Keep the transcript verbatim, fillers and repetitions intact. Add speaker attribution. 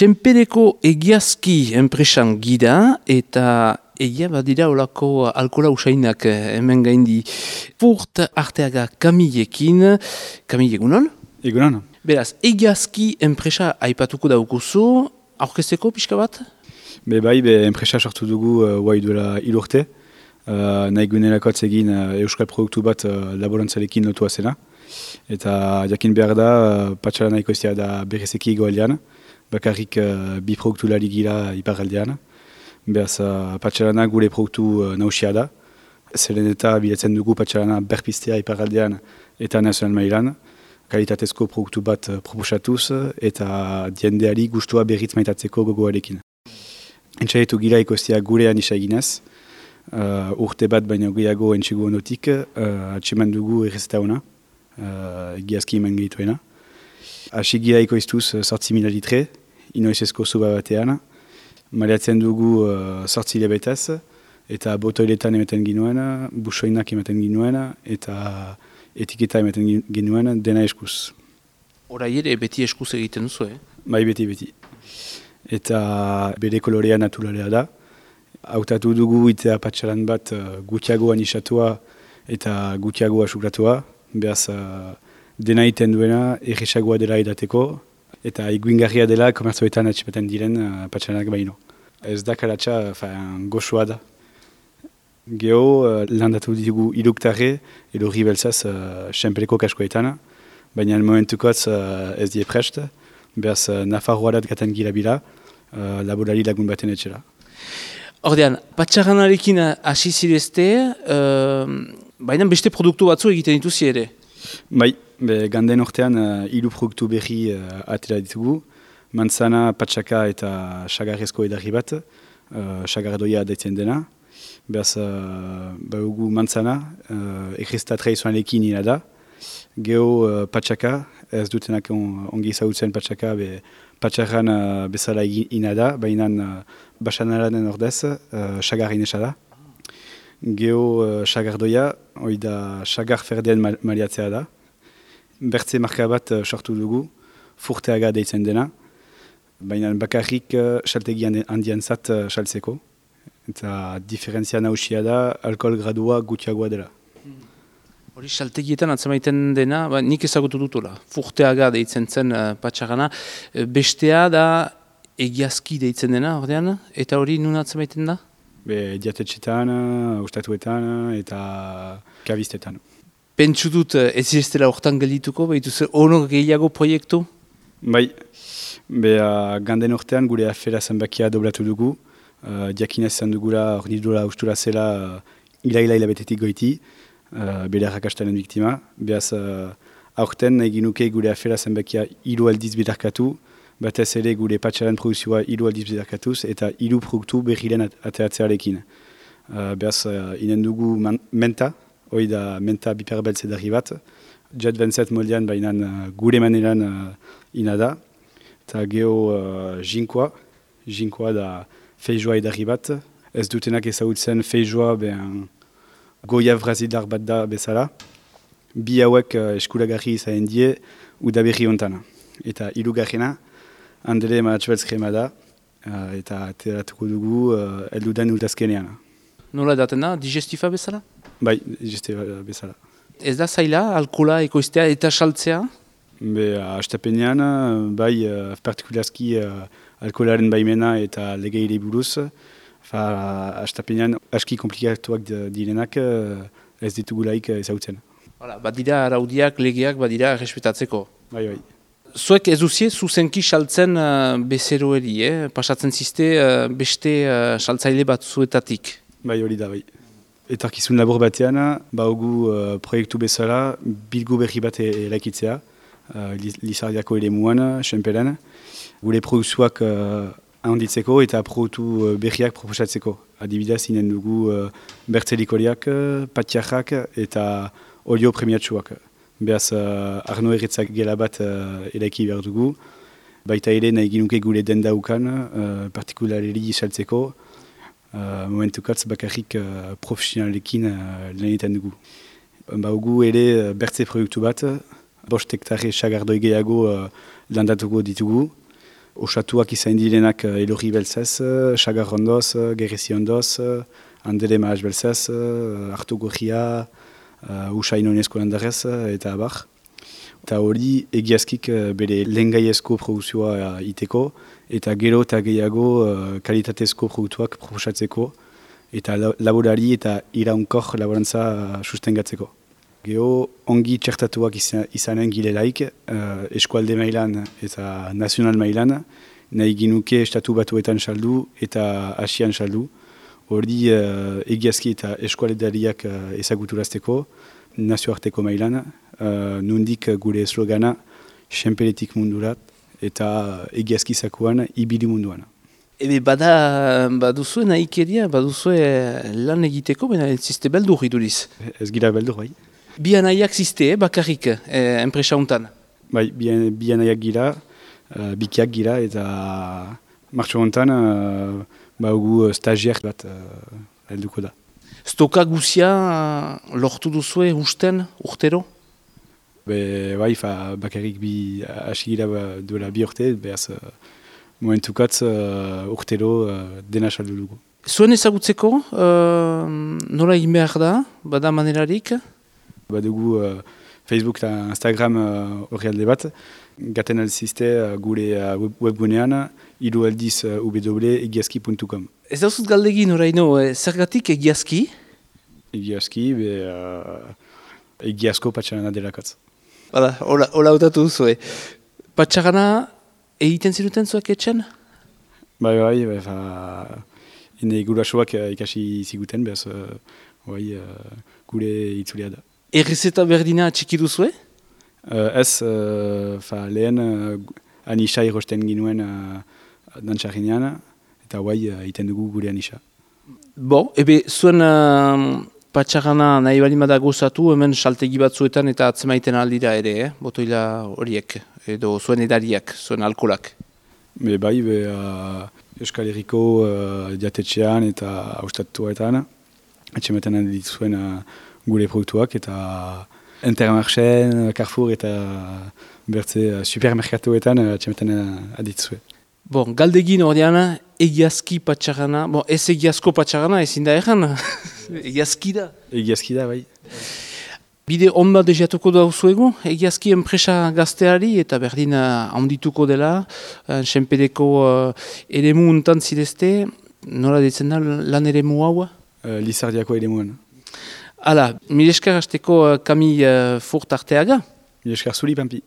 Speaker 1: Senpereko egiazki enpresan gira eta egia badira olako alkola usainak hemen gaindi. Furt Arteaga Kamilekin, Kamile egunon?
Speaker 2: Egunon.
Speaker 1: Beraz, egiazki enpresa aipatuko daukuzu, aurkezteko pixka bat?
Speaker 2: Be bai, be enpresa sortu dugu uh, guai duela hil urte. Uh, nahi gunerakotz egin uh, euskal produktu bat uh, laborantzalekin lotua zena. Eta jakin behar da, uh, patxala nahiko izia da berezeki goaldean. Bakarrik uh, bi produktu lari gira iparaldean. Beraz, uh, patxalana gure produktu uh, nausia da. Zeren eta bilatzen dugu patxalana berpiztea iparaldean eta nazional mailan. Kalitatezko produktu bat uh, proposatuz eta diendeari gustua berriz maitatzeko gogoarekin. Entxaietu gira ikoztia gurean isa eginez. Uh, urte bat baina gehiago entxegu onotik, uh, atseman dugu errezeta hona, uh, egiazki eman gehituena. Asi gira ikoiztuz sortzi mila litre, inoizezko zuba batean. Maleatzen dugu uh, sortzi lebetaz, eta botoiletan ematen ginuen, busoinak ematen ginuen, eta etiketa ematen ginuen dena eskuz.
Speaker 1: Horai ere beti eskuz egiten duzu, eh?
Speaker 2: Bai, beti, beti. Eta bere kolorea naturalea da. Hautatu dugu itea patxalan bat uh, gutiago anisatua eta gutiago asukratua. Beaz, uh, dena iten duena erresagoa dela edateko eta iguingarria dela komertzoetan atxipaten diren uh, patxalanak baino. Ez da kalatxa goxoa da. Geho, uh, landatu ditugu iluktarre edo ribelzaz uh, senpereko kaskoetan, baina momentukotz uh, ez die prest. Beaz, uh, Nafarroarat gaten gira bila, uh, laborari lagun baten etxera.
Speaker 1: Ordean, patxaranarekin hasi zirezte, uh, baina beste produktu batzu egiten dituzi ere?
Speaker 2: Bai, be, ganden ortean uh, hiru produktu berri uh, atera ditugu. Manzana, patxaka eta sagarrezko edarri bat, uh, sagardoia daitzen dena. Beaz, uh, baugu manzana, uh, ekresta tradizionalekin ina da. Geho uh, patxaka, ez dutenak on, ongi zautzen patxaka, be, patxarran uh, bezala ina da, baina uh, basanaranen ordez, uh, sagar inesa da. Geho uh, sagardoia, hoi da sagar ferdean mal maliatzea da. Bertze marka bat uh, sortu dugu, Furteaga deitzen dena, baina bakarrik uh, saltegi handian zat uh, saltzeko. Eta diferentzia nausia da, alkohol gradua gutiagoa dela.
Speaker 1: Hori saltegietan atzemaiten dena, ba, nik ezagutu dutula. Furteaga deitzen zen uh, patxarana. Bestea da egiazki deitzen dena, ordean, eta hori nun atzemaiten da?
Speaker 2: Be, diatetxetan, ustatuetan eta kabistetan.
Speaker 1: Pentsu dut ez zireztela hortan geldituko, behitu zer honor gehiago proiektu?
Speaker 2: Bai, be, uh, ganden ortean gure afera zenbakia doblatu dugu. Uh, diakinez zan dugula hor nidura ustura zela uh, ila-ila hilabetetik goiti, uh, bere arrakastaren biktima. Beaz, uh, aurten egin nuke gure afera zenbakia hiru aldiz bidarkatu, batez ere gure patxaran produzioa hiru aldiz bidarkatuz eta hiru produktu berriren ateratzearekin. Uh, beaz, uh, inen dugu man, menta, hoi da menta biperbeltze darri bat, jet vingt-sept moldean bainan uh, gure maneran uh, ina da, eta geho uh, jinkoa, jinkoa da feijoa edarri bat, ez dutenak ezagutzen feijoa ben goia brazildar bat da bezala. Bi hauek uh, eskuragarri izahen die udaberri ontana. Eta hirugarrena, handele maratxoelz krema da, uh, eta ateratuko dugu uh, eldudan ultazkenean.
Speaker 1: Nola daten da, digestifa bezala?
Speaker 2: Bai, digestifa bezala.
Speaker 1: Ez da zaila, alkohola ekoiztea eta saltzea?
Speaker 2: Be, astapenean, bai, uh, partikulazki uh, alkoholaren baimena eta legeire buruz, fa, astapenean aski komplikatuak direnak uh, ez ditugulaik ezautzen.
Speaker 1: Hala, badira araudiak, legeak, badira respetatzeko.
Speaker 2: Bai, bai.
Speaker 1: Zuek ez duzie, zuzenki saltzen uh, bezeroeri, eh? Pasatzen ziste uh, beste uh, saltzaile bat zuetatik.
Speaker 2: Bai, hori da, bai. Etorkizun labor batean, baugu uh, proiektu bezala, bilgu berri bat eraikitzea, uh, Lizardiako ere muan, senperen, gure produktuak uh, handitzeko eta produktu uh, berriak proposatzeko. Adibidez, inen dugu uh, bertzelikoriak, uh, patiarrak eta olio premiatsuak. Beaz, uh, Arno erretzak gela bat uh, eraiki behar dugu. Baita ere nahi ginuke gure denda ukan, uh, partikulareri saltzeko. Uh, momentukatz bakarrik uh, profesionalekin uh, lanetan dugu. Baugu ere uh, bertze produktu bat, bost hektare sagardoi gehiago uh, landatuko ditugu. osatuak izan direnak uh, Elorri belzez, uh, Sagar ondoz, uh, Gerrezi ondoz, uh, Andere Maas belzez, uh, Artu Gorria, uh, Usain Onesko landarez, uh, eta abar. Eta hori egiazkik uh, bere lengaiezko produkzioa uh, iteko, eta gero eta gehiago uh, kalitatezko produktuak proposatzeko, eta laborari eta iraunkor laborantza uh, sustengatzeko. Gero ongi txertatuak izan, izanen girelaik, uh, eskualde mailan eta nazional mailan, nahi ginuke estatu batuetan saldu eta asian saldu. Hori uh, egiazki eta eskualdariak uh, ezaguturazteko, nazioarteko mailan, uh, nundik gure slogana, senperetik mundurat, eta egiazki zakuan, ibili munduan.
Speaker 1: Ebe bada, baduzue nahikeria, baduzue lan egiteko, baina ez ziste beldur iduriz.
Speaker 2: Ez gira beldur, bai.
Speaker 1: Bi anaiak ziste, eh, bakarrik, eh, enpresa hontan.
Speaker 2: Bai, bi, bi anaiak gira, uh, bikiak gira, eta martxo hontan, uh, baugu stagiaire bat uh, helduko da.
Speaker 1: Stoka guzia uh, lortu duzue usten, urtero?
Speaker 2: Be, bai, fa, bakarrik bi hasi gira duela bi urte, behaz uh, momentukatz uh, urtero uh, dena saldu dugu.
Speaker 1: Zuen ezagutzeko, uh, nola egin behar da, bada manerarik?
Speaker 2: Badugu uh, Facebook eta Instagram horri uh, alde bat, gaten alzizte uh, gure uh, web webgunean, hiru aldiz uh, w w w puntu egiazki puntu com.
Speaker 1: Ez dauzut galdegin oraino, eh, zergatik egiazki?
Speaker 2: Egiazki, be uh, egiazko patxarana delakatz.
Speaker 1: Bada, hola, hola hautatu duzu, eh. Patxarana egiten ziruten zuek etxen?
Speaker 2: Bai, bai, bai, fa, ine gurasoak uh, ikasi ziguten, behaz, uh, bai, uh, gure itzulia da.
Speaker 1: Errezeta berdina txiki duzue?
Speaker 2: Uh, ez, uh, fa, lehen uh, anisa irosten ginuen uh, dantxarrinean, eta guai uh, iten dugu gure anisa.
Speaker 1: Bo, ebe zuen uh, patxarana nahi bali bada gozatu, hemen saltegi batzuetan eta atzemaiten aldira ere, eh? Botoila horiek, edo zuen edariak, zuen alkolak.
Speaker 2: Be bai, be uh, Euskal Herriko uh, diatetxean eta haustatuetan, atxematen dituzuen uh, gure produktuak eta Intermarchen, Carrefour eta bertze uh, supermerkatuetan uh, atxematen uh, aditzue.
Speaker 1: Bon, galdegin ordean, egiazki patxarana, bon, ez egiazko patxarana, ezin da erran, egiazki da.
Speaker 2: Egiazki da, bai.
Speaker 1: Bide on bat deziatuko dauzuegu, egiazki enpresa gazteari eta berdin uh, handituko dela, uh, senpedeko uh, eremu untan zidezte, nola ditzen da lan eremu hau?
Speaker 2: Uh, Lizardiako eremuan.
Speaker 1: Hala, mil esker hasteko uh, Kamil uh, Furt arteaga?
Speaker 2: Mil esker zuri, Pampi.